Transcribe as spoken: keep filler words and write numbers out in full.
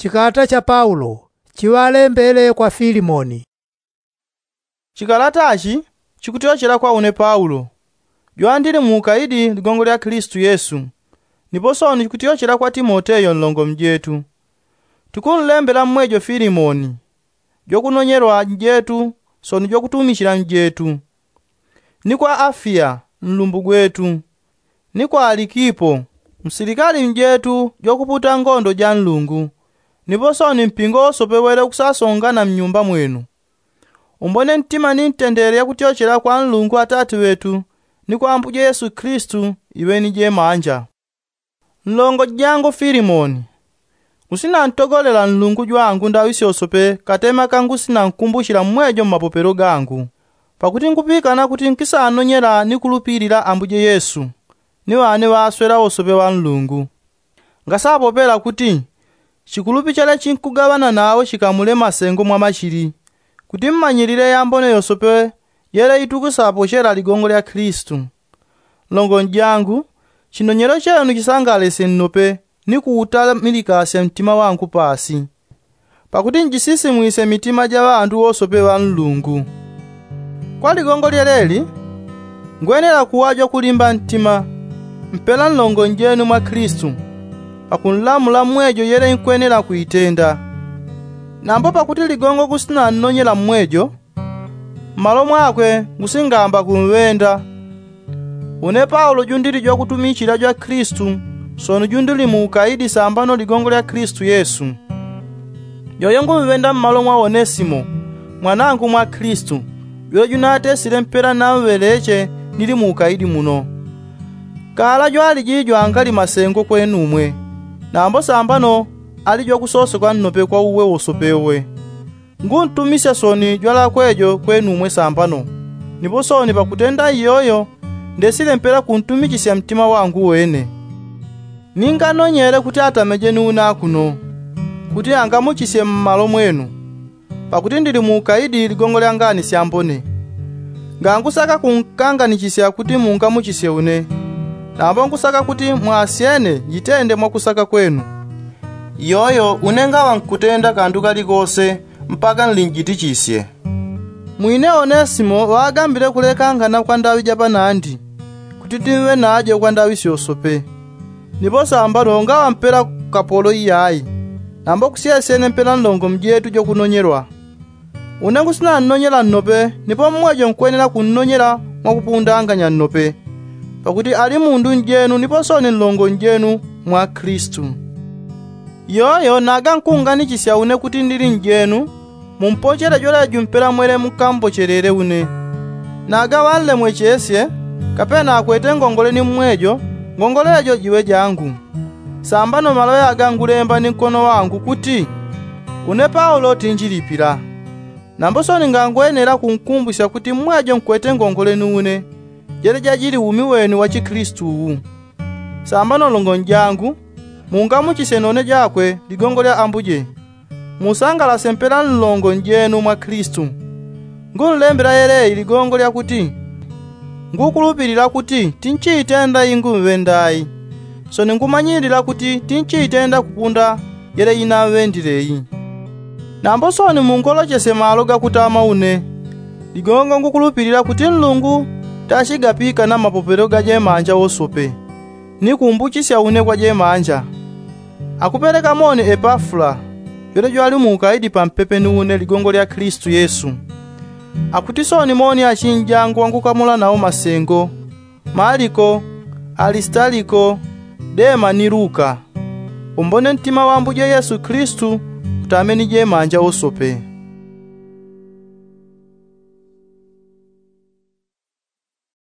Chikalata cha paulo chiŵalembele kwa filimoni. Chikalata chi chikutyochela kwa une paulo, jwandili muukaidi ligongo lya kilisitu yesu. Nipo sooni chikutyochela kwa timoteyo nlongo mjetu. Tikunlembela mmwejo filimoni, jwakunonyelwa njetu sooni jwakutumichila njetu, ni kwa afiya nlumbu gwetu, ni kwa alikipo, msilikali njetu jwakuputa ngondo ja nlungu. Nipo sooni mpingo wosope wele ukusasongana mnyumba mwenu. Umbone ntima ni ntendele yakutyochela kwa nlungu atati ŵetu, ni kwa ambuje yesu kilisitu iŵeni jemanja. Nlongo jangu filimoni, usinantogolela nlungu jwangu ndaŵi syosope katema kangu sinankumbuchila mmwejo mmapopelo gangu. Pakuti ngupikana kuti nkisanonyela ni kulupilila ambuje yesu, ni ŵane ŵaswela wosope ŵa nlungu. Ngasapopela kuti chikulupi chele chinkugaŵana nawo chikamule masengo mwa machili, kuti mmanyilile yambone yosope yele itukusapochela ligongo lya kilisitu. Nlongo njangu, chinonyelo chenu chisangalesye nnope, ni kuutamilikasya mtima wangu paasi, pakuti njisisimwisye mitima ja ŵandu wosope ŵa nlungu. Kwa ligongo lyeleli, ngwenela kuŵa jwakulimba ntima, mpela nlongo njenu mwa kilisitu, pakunlamula mmwejo yele inkwenela kuitenda. Nambo pakuti ligongo ngusinannonyela mmwejo, mmalo mwakwe ngusingamba kunŵenda. Une paulo jundili jwakutumichila jwa kilisitu, sooni jundili muukaidi sambano ligongo lya kilisitu yesu. Yoyo ngunŵenda mmalo mwa onesimo, mwanangu mwa kilisitu, jwele junatesile mpela nanŵeleche nili muukaidi muno. Kala jwaliji jwangali masengo kwenumwe, nambo sambano ali jwakusosoka nnope kwa uwe wosope uwe. Nguntumisya sooni jwalakwe jo kwenumwe sambano. Nipo sooni pakutenda iyoyo, ndesile mpela kuntumichisya mtima wangu wene. Ninganonyele kuti atameje ni una kuno, kuti angamuchisye mmalo mwenu. Pakuti ndili muukaidi ligongo lya ngani syambone. Ngangusaka kunkanganichisya kuti mungamuchisye une, nambo ngusaka kuti mwasyene njitende mwakusaka kwenu. Iyoyo une ngaŵa nkutenda kandu kalikose mpaka nlinjitichisye. Mwine onesimo ŵagambile kulekangana kwa ndaŵi ja panandi, kuti timve najo kwa ndaŵi syosope. Nipo sambano ngaŵa mpela kapolo iyayi, nambo kusyesyene mpela nlongo mjetu jokunonyelwa. Une ngusinannonyela nnope, nipo mmwejo nkwenela kunnonyela mwakupundanganya nnope, pakuti ali mundu njenu nipo sooni nlongo njenu mwa kilisitu. Iyoyo naga nkunganichisya une kuti ndili njenu, mumpochele jwelejo mpela mwele mukambochelele une. Naga ŵanlemwechesye, kapena akwete ngongole ni mmwejo, ngongole jo jiŵe jangu. Sambano maloŵe aga ngulemba ni nkono wangu kuti, une paulo tinjilipila. Nambo sooni ngangwenela kunkumbusya kuti mmwejo nkwete ngongole ni une, jele jajili umi wenu wa chikilisitu uwu. Sambano nlongo njangu, mungamuchisye none jakwe ligongo lya ambuje. Musangalasye mpela nlongo njenu mwa kilisitu. Ngunlembela yeleyi ligongo lyakuti, ngukulupilila kuti tinchiitenda iyi ngunŵenda ayi, sooni ngumanyilila kuti tinchiitenda kupunda yele inanŵendile iyi. Nambo sooni mungolochesye malo gakutama une. Ligongo ngukulupilila kuti nlungu tachigapikana mmapopelo ga jemanja wosope, ni kumbuchisya une kwa jemanja. Akupeleka moni epafula, jwele jwali muukaidi pampepe ni une ligongo lya kilisitu yesu. Akuti sooni moni achinjangu wangukamula nawo masengo, maliko, alisitaliko, dema ni luka. Umbone ntima wa ambuje yesu kilisitu utame ni jemanja wosope.